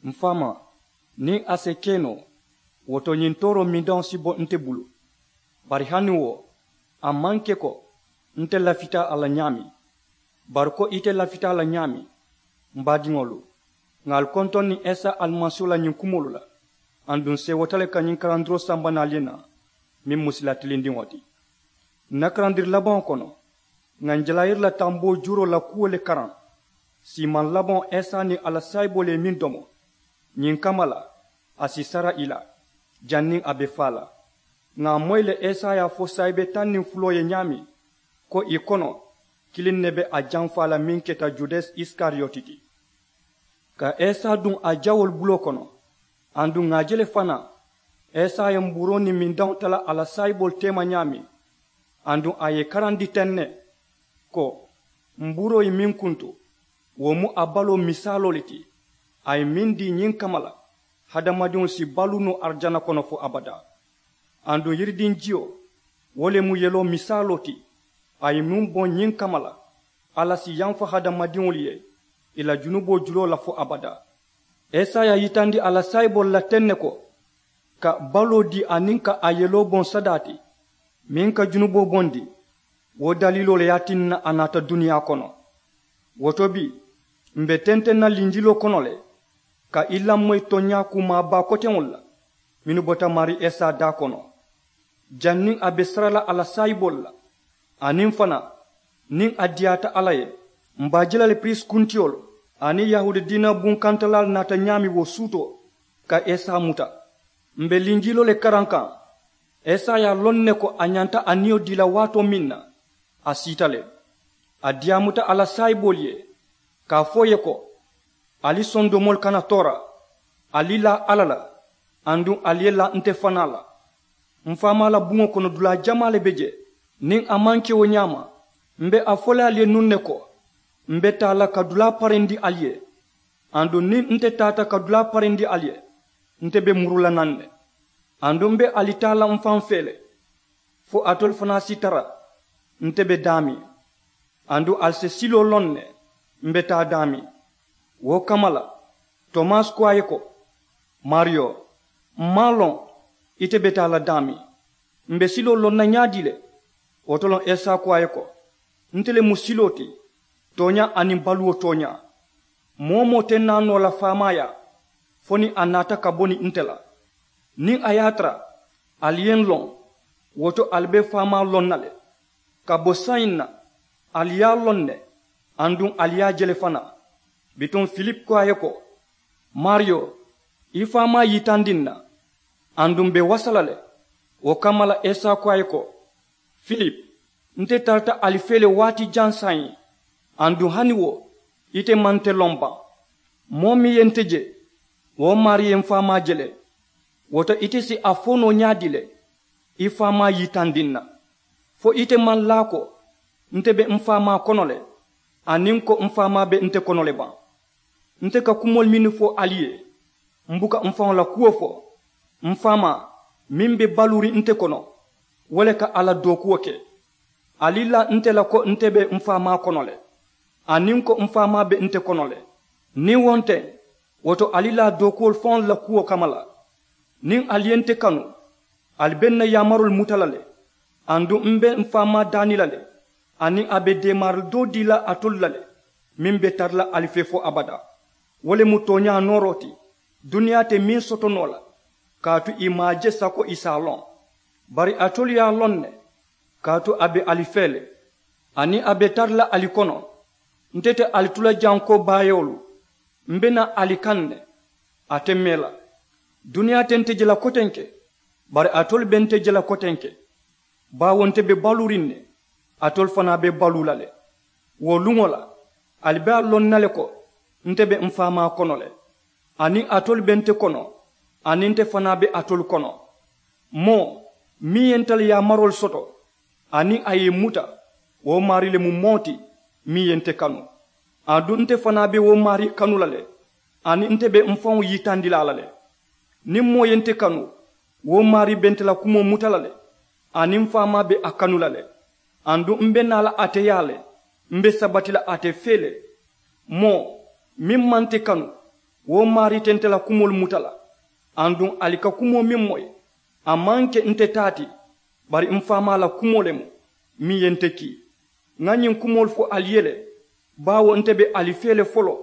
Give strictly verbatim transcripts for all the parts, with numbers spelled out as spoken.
N faamaa, niŋ a si ke noo, wo to ñiŋ tooroo mindaŋo si bo nte bulu. Bari hani wo, a maŋ ke ko nte lafita a la ñaameŋ, bari ko ite lafita a la ñaameŋ. M baadiŋolu, ŋà ali kontoŋ niŋ isa alimasiihu la ñiŋ kumoolu la, aduŋ seewota le ka ñiŋ karandiroo samba niŋ ali ye naa, meŋ mu sila tilindiŋo ti. N na karandiri labaŋo kono, ŋà n jalayiri la tamboo juuroo la kuwo le karaŋ. Siimaŋ labaŋo, isa niŋ a la saayiboolu ye meŋ domo, ñiŋ kamma la, a si sara ì la, janniŋ a be faa la. Ŋà a moyi le, isa ye a fo saayibee taŋ niŋ fuloo ye ñaameŋ, ko ì kono kiliŋ ne be a jamfaa la meŋ keta judasi isikariyoti ti. Ka isa duŋ a jawoolu buloo kono, aduŋ ŋà a je le fanaa, isa ye mbuuroo niŋ mindaŋo tala a la saayiboolu teema ñaameŋ, aduŋ a ye ì karandi teŋ ne, ko mbuuroo ye meŋ kuntu, wo mu a baloo misaaloo le ti, a ye meŋ dii ñiŋ kamma la, hadamadiŋolu si baluu noo arijana kono fo abadaa. Aduŋ yiridiŋ jiyo, wo le mu yeloo misaaloo ti, a ye meŋ boŋ ñiŋ kamma la, alla si yamfa hadamadiŋolu ye ì la junuboo juloo la fo abadaa. Isa ye a yitandi a la saayiboolu la teŋ ne ko, ka baloo dii aniŋ ka a yeloo boŋ sadaa ti, meŋ ka junuboo bondi, wo daliiloo le ye a tinna a naata duniyaa kono. Wo to bii, m̀ be tenteŋ na linjiloo kono le, ka i lamoyi tooñaa kuumaa baa koteŋolu la, mennu bota maarii isa daa kono, janniŋ a be sara la a la saayiboolu la, aniŋ fanaa, niŋ a diyaata alla ye, m̀ be a je la le piriisi kuntiyolu aniŋ yahuudi diina bunkantalaalu naata ñaameŋ wo suutoo, ka isa muta. M̀ be linjiloo le karaŋ kaŋ, isa ye a loŋ ne ko a ñanta a niyo dii la waatoo meŋ na, a siita le. A diyaamuta a la saayiboolu ye, ka a fo ì ye ko, ali sondomoolu kana toora, ali laa alla la, aduŋ ali ye laa nte fanaa la. M faamaa la buŋo kono dulaa jamaa le be jee. Niŋ a maŋ ke wo ñaama, m be a fo la ali ye nuŋ ne ko, m be taa la ka dulaa parendi ali ye. Aduŋ niŋ nte taata ka dulaa parendi ali ye, nte be muru la naŋ ne. Aduŋ m be ali taa la m faŋ fee le, fo alitolu fanaa si tara nte be daameŋ. Aduŋ ali si siloo loŋ ne m be taa daameŋ. Wo kamma la, tomasi ko a ye ko, maariyo, m maŋ a loŋ ite be taa la daameŋ. M be siloo loŋ na ñaadii le? Wo to loŋ isa ko a ye ko, nte le mu siloo ti, tooñaa aniŋ baluwo tooñaa. Moo-wo-moo te naa noo la faamaayaa, fo niŋ a naata ka bo niŋ nte la. Niŋ a ye a tara ali ye n loŋ, wo to ali be faamaa loŋ na le. Ka bo saayiŋ na, ali ye a loŋ ne, aduŋ ali ye a je le fanaa. Bituŋ filipu ko a ye ko, maariyo, i faamaa yitandi n na, aduŋ m be wasa la le. Wo kamma la isa ko a ye ko, filipu, nte tarata ali fee le waati jaŋ saayiŋ, aduŋ hani wo ite maŋ nte loŋ baŋ? Moo meŋ ye nte je, wo maarii ye m faamaa je le. Wo to ite si a fo noo ñaadii le, i faamaa yitandi n na? Fo ite maŋ laa ko, nte be m faamaa kono le, aniŋ ko m faamaa be nte kono le baŋ? Nte ka kumoolu mennu fo ali ye, m buka m faŋo la kuwo fo. M faamaa meŋ be baluuriŋ nte kono, wo le ka a la dookuwo ke. Ali laa nte la ko nte be m faamaa kono le, aniŋ ko m faamaa be nte kono le. Niŋ wo nteŋ, wo to ali laa dookuwolu faŋolu la kuwo kamma la. Niŋ ali ye nte kanu, ali be n na yaamaroolu muta la le. Aduŋ m be m faamaa daani la le, aniŋ a be deemaari doo dii la alitolu la le, meŋ be tara la ali fee fo abadaa. Wo le mu tooñaa nooroo ti, duniyaa te meŋ soto noo la, kaatu ì maŋ a je sako ì si a loŋ. Bari alitolu ye a loŋ ne, kaatu a be ali fee le, aniŋ a be tara la ali kono. Nte te ali tu la jaŋ ko baayewolu, m be naa ali kaŋ ne. A te mee la. Duniyaa te nte je la kotenke, bari alitolu be nte je la kotenke, baawo nte be baluuriŋ ne, alitolu fanaa be baluu la le. Wo luŋo la, ali be a loŋ na le ko nte be m faamaa kono le, aniŋ alitolu be nte kono, aniŋ nte fanaa be alitolu kono. Moo meŋ ye nte la yaamaroolu soto, aniŋ a ye ì muta, wo maarii le mu moo ti meŋ ye nte kanu. Aduŋ nte fanaa be wo maarii kanu la le, aniŋ nte be m faŋo yitandi la a la le. Niŋ moo ye nte kanu, wo maarii be nte la kumoo muta la le, aniŋ m faamaa be a kanu la le. Aduŋ m be naa la ate yaa le, m be sabati la ate fee le. Moo meŋ maŋ nte kanu, Wo maarii te nte la kumoolu muta la. Aduŋ ali ka kumoo meŋ moyi, a maŋ ke nte taa ti, bari m faamaa la kumoo le mu, meŋ ye nte kii. Ŋa ñiŋ kumoolu fo ali ye le, baawo nte be ali fee le foloo,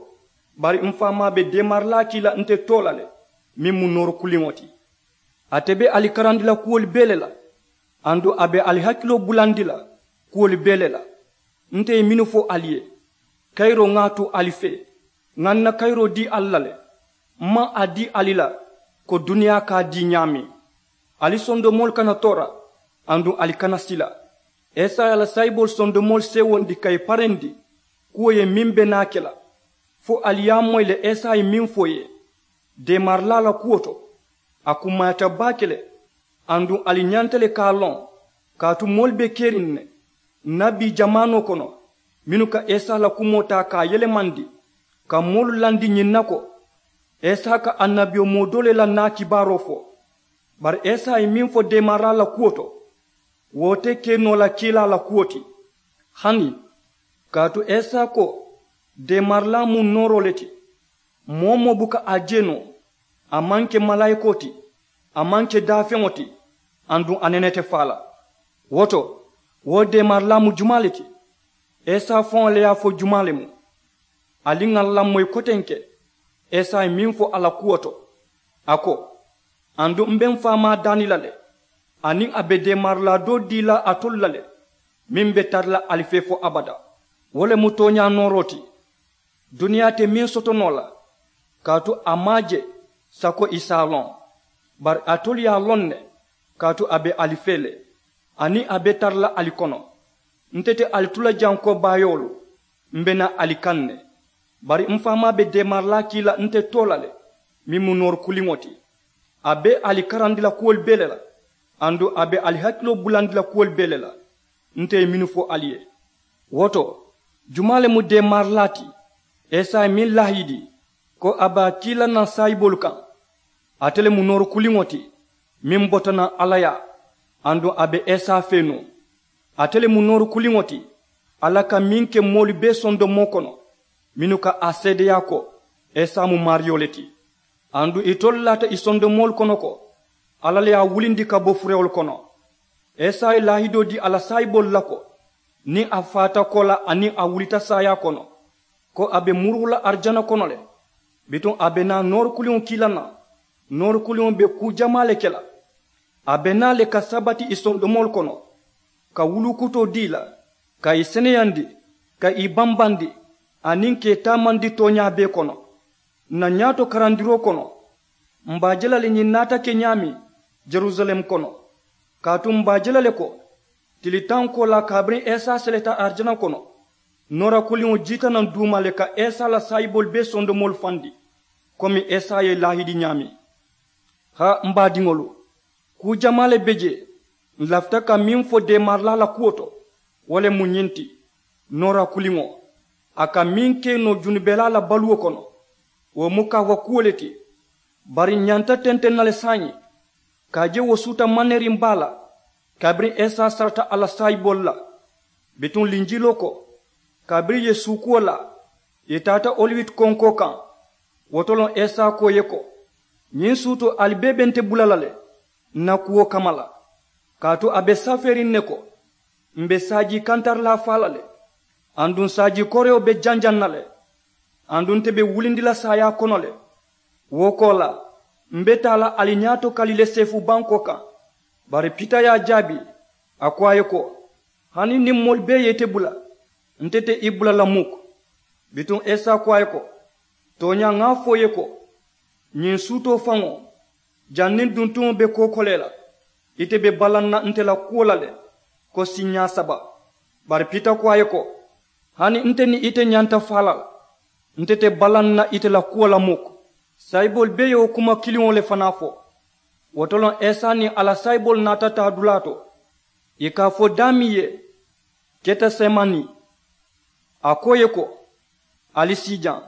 bari m faamaa be deemarilaa kii la nte too la le, meŋ mu noori kuliŋo ti. Ate be ali karandi la kuwolu bee le la, aduŋ a be ali hakiloo bulandi la kuwolu bee le la. Nte ye mennu fo ali ye, kayiroo ŋa a tu ali fee, ŋa n na kayiroo dii ali la le. M maŋ a dii ali la ko duniyaa ka a dii ñaameŋ. Ali sondomoolu kana toora, aduŋ ali kana sila. Esaya la saayiboolu sondomoolu seewondi ka ì parendi kuwo ye meŋ be naa ke la, fo ali ye a moyi le esaya ye meŋ fo ì ye deemarilaa la kuwo to. A kummayata baake le, aduŋ ali ñanta le ka a loŋ, kaatu moolu be keriŋ ne nabi jamaanoo kono, mennu ka esaya la kumoo taa ka a yelemandi, ka moolu landi ñiŋ na ko esaya ka annabiyomoo doo le la naa kibaaroo fo. Bari esaya ye meŋ fo deemarilaa la kuwo to, wo te ke noo la kiilaa la kuwo ti. Hani, kaatu esaya ko deemarilaa mu nooroo le ti. Moo-wo-moo buka a je noo, a maŋ ke malaayikoo ti, a maŋ ke daafeŋo ti, aduŋ a nene te faa la. Wo to, wo deemarilaa mu jumaa le ti? Esaya faŋo le ye a fo jumaa le mu? Ali ŋà n lamoyi kotenke esaya ye meŋ fo a la kuwo to. A ko, aduŋ m be m faamaa daani la le, aniŋ a be deemarilaa doo dii la alitolu la le, meŋ be tara la ali fee fo abadaa. Wo le mu tooñaa nooroo ti. Duniyaa te meŋ soto noo la, kaatu a maŋ a je sako ì si a loŋ. Bari alitolu ye a loŋ ne, kaatu a be ali fee le, aniŋ a be tara la ali kono. Nte te ali tu la jaŋ ko baayoolu, m be naa ali kaŋ ne. Bari m faamaa be deemarilaa kii la nte too la le, meŋ mu noori kuliŋo ti. A be ali karandi la kuwolu bee le la, aduŋ a be ali hakiloo bulandi la kuwolu bee le la, nte ye mennu fo ali ye. Wo to, jumaa le mu deemarilaa ti esaya ye meŋ laahidi ko a be a kii la naŋ saayiboolu kaŋ? Ate le mu noori kuliŋo ti, meŋ bota naŋ alla yaa, aduŋ a be esaya fee nuŋ. Ate le mu noori kuliŋo ti, alla ka meŋ ke moolu bee sondomoo kono, mennu ka a seedeyaa ko esaya mu maariyo le ti. Aduŋ itolu laata ì sondomoolu kono ko alla le ye a wulindi ka bo furewolu kono. Esaya ye laahidoo dii a la saayiboolu la ko, niŋ a faata koolaa aniŋ a wulita saayaa kono, ko a be muruu la arijana kono le. Bituŋ a be naa noori kuliŋo kii la naŋ, noori kuliŋo be kuu jamaa le ke la. A be naa le ka sabati ì sondomoolu kono, ka wuluukutoo dii ì la, ka ì seneyandi, ka ì bambandi, aniŋ ka ì taamandi tooñaa bee kono. N na ñaato karandiroo kono, m be a je la le ñiŋ naata ke ñaameŋ, jerusalem kono. Kaatu m be a je la le ko, tili taŋ koolaa kabiriŋ esaya seleta arijana kono, noora kuliŋo jiita naŋ duuma le ka esaya la saayiboolu bee sondomoolu fandi, komi esaya ye laahidi ñaameŋ. Haa m baadiŋolu, kuu jamaa le be jee. N lafita ka meŋ fo deemarilaa la kuwo to, wo le mu ñiŋ ti, noora kuliŋo, a ka meŋ ke noo junubelaa la baluwo kono, wo mu kaawa kuwo le ti. Bari n ñanta tenteŋ na le saayiŋ, ka a je wo suuta manneeriŋ baa la, kabiriŋ esaya sarata a la saayiboolu la. Bituŋ linjiloo ko, kabiriŋ ì ye suukuwo laa, ì taata oliwiti konkoo kaŋ. Wo to loŋ esaya ko ì ye ko, ñiŋ suutoo ali bee be nte bula la le n na kuwo kamma la. Kaatu a be safeeriŋ ne ko, m be saajii kantarilaa faa la le, aduŋ saajii koreyo be janjaŋ na le, aduŋ nte be wulindi la saayaa kono le. Wo koolaa, m be taa la ali ñaato kali le seefu bankoo kaŋ. Bari pita ye a jaabi, a ko a ye ko, hani niŋ moolu bee ye ite bula, nte te i bula la muk. Bituŋ esaya ko a ye ko, tooñaa ŋa a fo i ye ko, ñiŋ suutoo faŋo, janniŋ duntuŋo be kookolee la, ite be balaŋ na nte la kuwo la le ko siiñaa saba. Bari pita ko a ye ko, hani nte niŋ ite ñanta faa la le, nte te balaŋ na ite la kuwo la muk. Saayiboolu bee ye wo kuma kiliŋo le fanaa fo. Wo to loŋ esaya niŋ a la saayiboolu naata taa dulaa to, ì ka a fo daameŋ ye, ketesemani. A ko ì ye ko, ali sii jaŋ,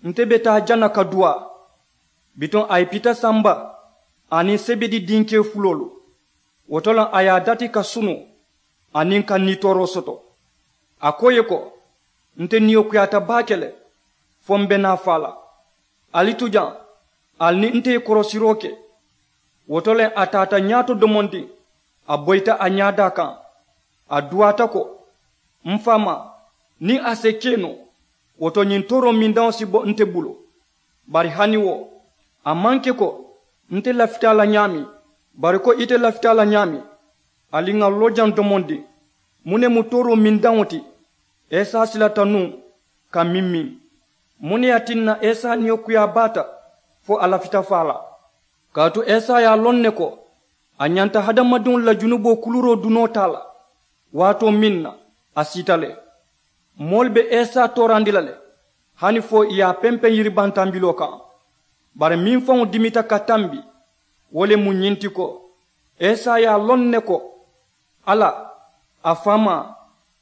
nte be taa jaŋ na ka duwaa. Bituŋ a ye pita samba aniŋ sebedi dinkee fuloolu. Wo to loŋ a ye a dati ka sunu aniŋ ka nitooroo soto. A ko ì ye ko, nte niyo kuyaata baake le, fo m be naa faa la. Ali tu jaŋ, ali niŋ nte ye korosiroo ke. Wo to le a taata ñaato domondiŋ, a boyita a ñaadaa kaŋ, a duwaata ko, m faamaa, niŋ a si ke noo, wo to ñiŋ tooroo mindaŋo si bo nte bulu. Bari hani wo, a maŋ ke ko nte lafita a la ñaameŋ, bari ko ite lafita a la ñaameŋ. Ali ŋà loo jaŋ domondiŋ, muŋ ne mu tooroo mindaŋo ti? Esa silata nuŋ ka miŋ miŋ. Muŋ ne ye a tinna esa niyo kuyaa baata fo a lafita faa la? Kaatu esa ye a loŋ ne ko a ñanta hadamadiŋolu la junuboo kuluuroo dunoo taa la. Waatoo meŋ na a siita le. Moolu be esa toorandi la le, hani fo ì ye a pempeŋ yiribantambiloo kaŋ. Bari meŋ faŋo dimita ka tambi, wo le mu ñiŋ ti ko, esa ye a loŋ ne ko, alla, a faamaa,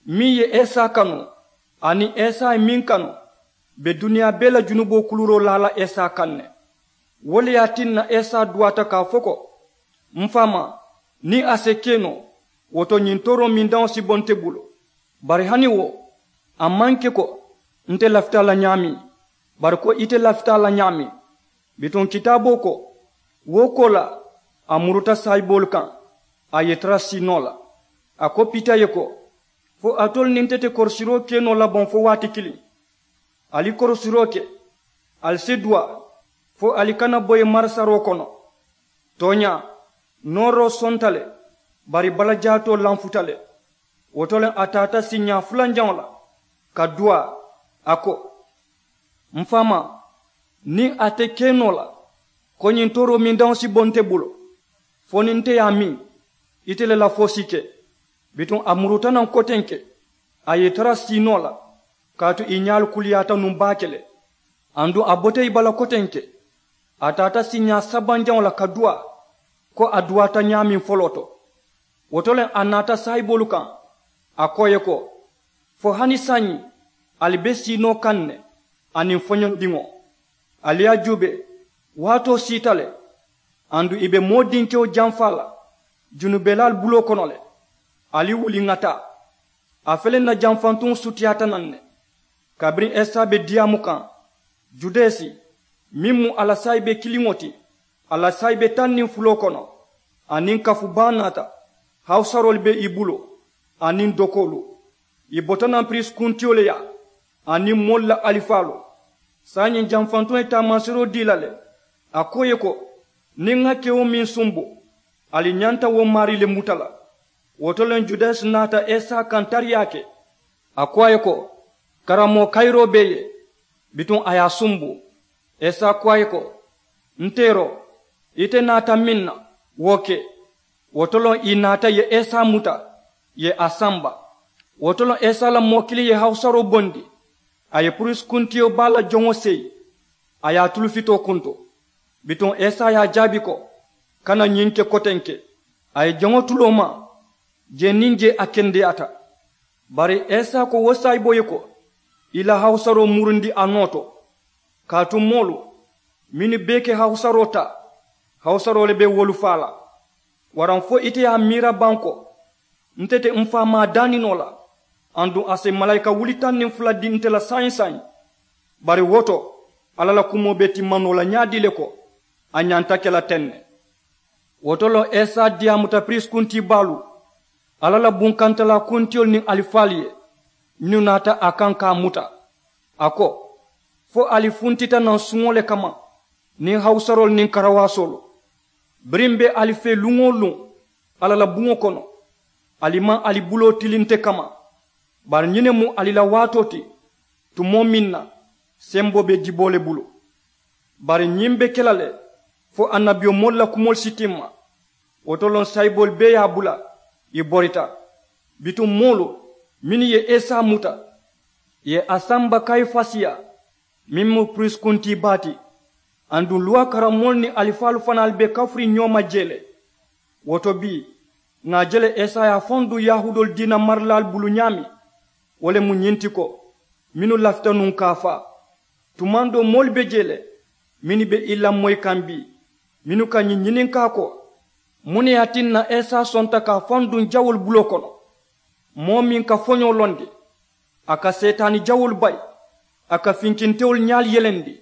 meŋ ye esa kanu, aniŋ esa ye meŋ kanu, be duniyaa bee la junuboo kuluuroo laa la esa kaŋ ne. Wo le ye a tinna esa duwaata ka a fo ko, m faamaa, niŋ a si ke noo, wo to ñiŋ tooroo mindaŋo si bo nte bulu. Bari hani wo, a maŋ ke ko nte lafita a la ñaameŋ, bari ko ite lafita a la ñaameŋ. Bituŋ kitaaboo ko, wo koolaa a muruta saayiboolu kaŋ, a ye i tara siinoo la. A ko pita ye ko, fo alitolu niŋ nte te korosiroo ke noo la baŋ fo waati kiliŋ? Ali korosiroo ke, ali si duwaa, fo ali kana boyi marisaroo kono. Tooñaa, nooroo sonta le, bari balajaatoo lanfuta le. Wo to le a taata siiñaa fulanjaŋo la, ka duwaa, a ko, m faamaa, niŋ a te ke noo la, ko ñiŋ tooroo mindaŋo si bo nte bulu, fo niŋ nte ye a miŋ, ite le la fo si ke. Bituŋ a muruta naŋ kotenke, a ye i tara siinoo la, kaatu ì ñaalu kuliyaata nuŋ baake le. Aduŋ a bota ì bala kotenke, a taata siiñaa sabanjaŋo la ka duwaa, ko a duwaata ñaameŋ foloo to. Wo to le a naata saayiboolu kaŋ, a ko ì ye ko, fo hani saayiŋ ali be siinoo kaŋ ne, aniŋ foñondiŋo? Ali ye a juubee, waatoo siita le, aduŋ ì be moo dinkewo jamfaa la junubelaalu buloo kono le. Ali wuli ŋà taa. A fele n na jamfantuŋo sutiyaata naŋ ne. Kabiriŋ esa be diyaamu kaŋ, judasi, meŋ mu a la saayibe kiliŋo ti, a la saayibe taŋ niŋ fuloo kono, aniŋ kafu baa naata. Hawusaroolu be ì bulu, aniŋ dokoolu. Ì bota naŋ piriisi kuntiyo le yaa, aniŋ moolu la alifaalu. Saayiŋ jamfantuŋo ye taamansiroo dii la le. A ko ì ye ko, niŋ ŋa kewo meŋ sumbu, ali ñanta wo maarii le muta la. Wo to le judasi naata esa kaŋ tariyaa ke. A ko a ye ko, karamoo kayiroo be ì ye. Bituŋ a ye a sumbu. Esa ko a ye ko, n teeroo, ite naata meŋ na, wo ke. Wo to loŋ ì naata ì ye esa muta, ì ye a samba. Wo to loŋ esa la moo kiliŋ ye hawusaroo bondi, a ye puriisi kuntiyo baa la joŋo seyi, a ye a tulufitoo kuntu. Bituŋ esa ye a jaabi ko, kana ñiŋ ke kotenke. A ye joŋo tuloo maa, jee niŋ jee a kendeyaata. Bari esa ko wo saayiboo ye ko, i la hawusaroo murundi a noo to. Kaatu moolu mennu bee ke hawusaroo taa, hawusaroo le be wolu faa la. Waraŋ fo ite ye a miira baŋ ko, nte te m faamaa daaninoo la, aduŋ a si malaayika wuli taŋ niŋ fula dii nte la saayiŋ saayiŋ? Bari wo to, alla la kumoo be timma noo la ñaadii le ko, a ñanta ke la teŋ ne. Wo to loŋ esa diyaamuta piriisi kuntii baalu, alla la bunkantalaa kuntiyolu niŋ alifaalu ye, mennu naata a kaŋ ka a muta. A ko, fo ali funtita naŋ suŋo le kamma, niŋ hawusaroolu niŋ karawaasoolu. Biriŋ m be ali fee luŋ-wo-luŋ alla la buŋo kono, ali maŋ ali buloo tili nte kamma. Bari ñiŋ ne mu ali la waatoo ti, tumoo meŋ na semboo be diboo le bulu. Bari ñiŋ be ke la le, fo annabiyomoolu la kumoolu si timma. Wo to loŋ sayiboolu bee ye a bula, ì borita. Bituŋ moolu mennu ye esa muta, ì ye a samba kayifasi yaa, meŋ mu piriisi kuntii baa ti. Aduŋ luwaa karammoolu niŋ alifaalu fanaalu be kafuriŋ ñoo ma jee le. Wo to bii, ŋà a je le esa ye a faŋ duŋ yahuudoolu diina marilaalu bulu ñaameŋ, wo le mu ñiŋ ti ko, mennu lafita nuŋ ka a faa. Tumaŋ doo moolu be jee le, mennu be ì lamoyi kaŋ bii, mennu ka ñiŋ ñininkaa ko, muŋ ne ye a tinna esa sonta ka a faŋ duŋ jawoolu buloo kono? Moo meŋ ka foñoo londi, a ka seetaani jawoolu bayi, a ka finkintewolu ñaalu yelendi,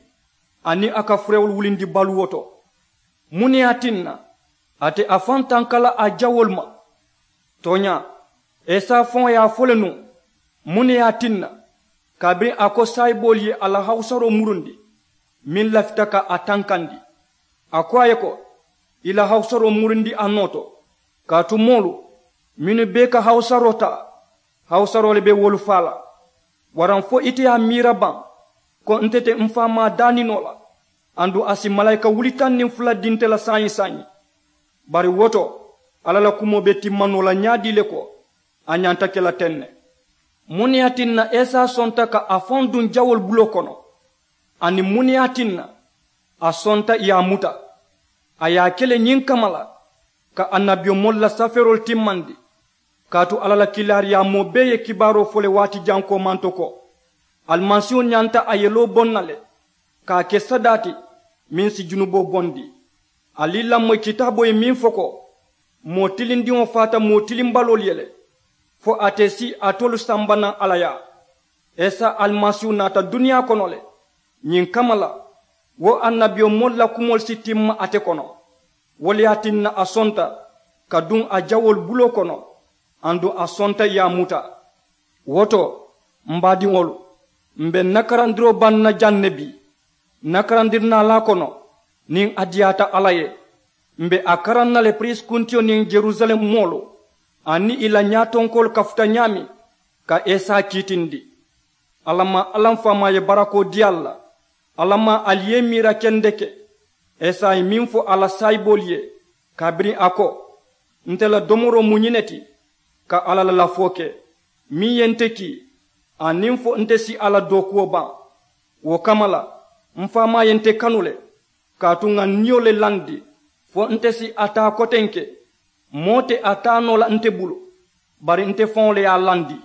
aniŋ a ka furewolu wulindi baluwo to. Muŋ ne ye a tinna ate a faŋ tanka la a jawoolu ma? Tooñaa, esa faŋo ye a fo le nuŋ. Muŋ ne ye a tinna kabiriŋ a ko saayiboolu ye a la hawusaroo murundi meŋ lafita ka a tankandi? A ko a ye ko, i la hawusaroo murundi a noo to, kaatu moolu mennu bee ka hawusaroo taa, hawusaroo le be wolu faa la. Waraŋ fo ite ye a miira baŋ ko nte te mfaamaa daaninoo la? Aduŋ a si malaayika wuli taŋ niŋ fula di nte la saayiŋ saayiŋ. Bari wo to, alla la kumoo be timma noo la ñaadii le ko a ñanta ke la teŋ ne. Muŋ ne ye a tinna esa sonta ka a faŋo duŋ jawoolu buloo kono? Aniŋ muŋ ne ye a tinna a sonta i ye a muta? A ye a ke le ñiŋ kamma la, ka annabiyomoolu la safeeroolu timmandi. Kaatu alla la kiilaariyaamoo bee ye kibaaroo fo le waati jankoo manto ko alimasiihu ñanta a yeloo boŋ na le, ka a ke sadaa ti meŋ si junuboo bondi. Ali lamoyi kitaaboo ye meŋ fo ko, moo tilindiŋo faata moo tilimbaloolu ye le, fo ate si alitolu samba naŋ alla yaa. Esa alimasiihu naata duniyaa kono le ñiŋ kamma la, wo annabiyomoolu la kumoolu si timma ate kono. Wo le ye a tinna a sonta ka duŋ a jawoolu buloo kono, aduŋ a sonta i ye a muta. Wo to, m baadiŋolu, m be n na karandiroo baŋ na jaŋ ne bii. N na karandiri naalaa kono, niŋ a diyaata alla ye, m be a karaŋ na le piriisi kuntiyo niŋ yerusalem moolu aniŋ i la ñaatonkoolu kafuta ñaameŋ ka esa kiitindi. Alla maŋ alla m faamaa ye barakoo dii ali la. Alla maŋ ali ye i miira kendeke. Esa ye meŋ fo a la saayiboolu ye kabiriŋ a ko, nte la domoroo mu ñiŋ ne ti, ka alla la lafoo ke meŋ ye nte kii, aniŋ fo nte si a la dookuwo baŋ. Wo kamma la, m faamaa ye nte kanu le, kaatu ŋà n niyo le landi fo nte si a taa kotenke. Moo te a taa noo la nte bulu, bari nte faŋo le ye a landi.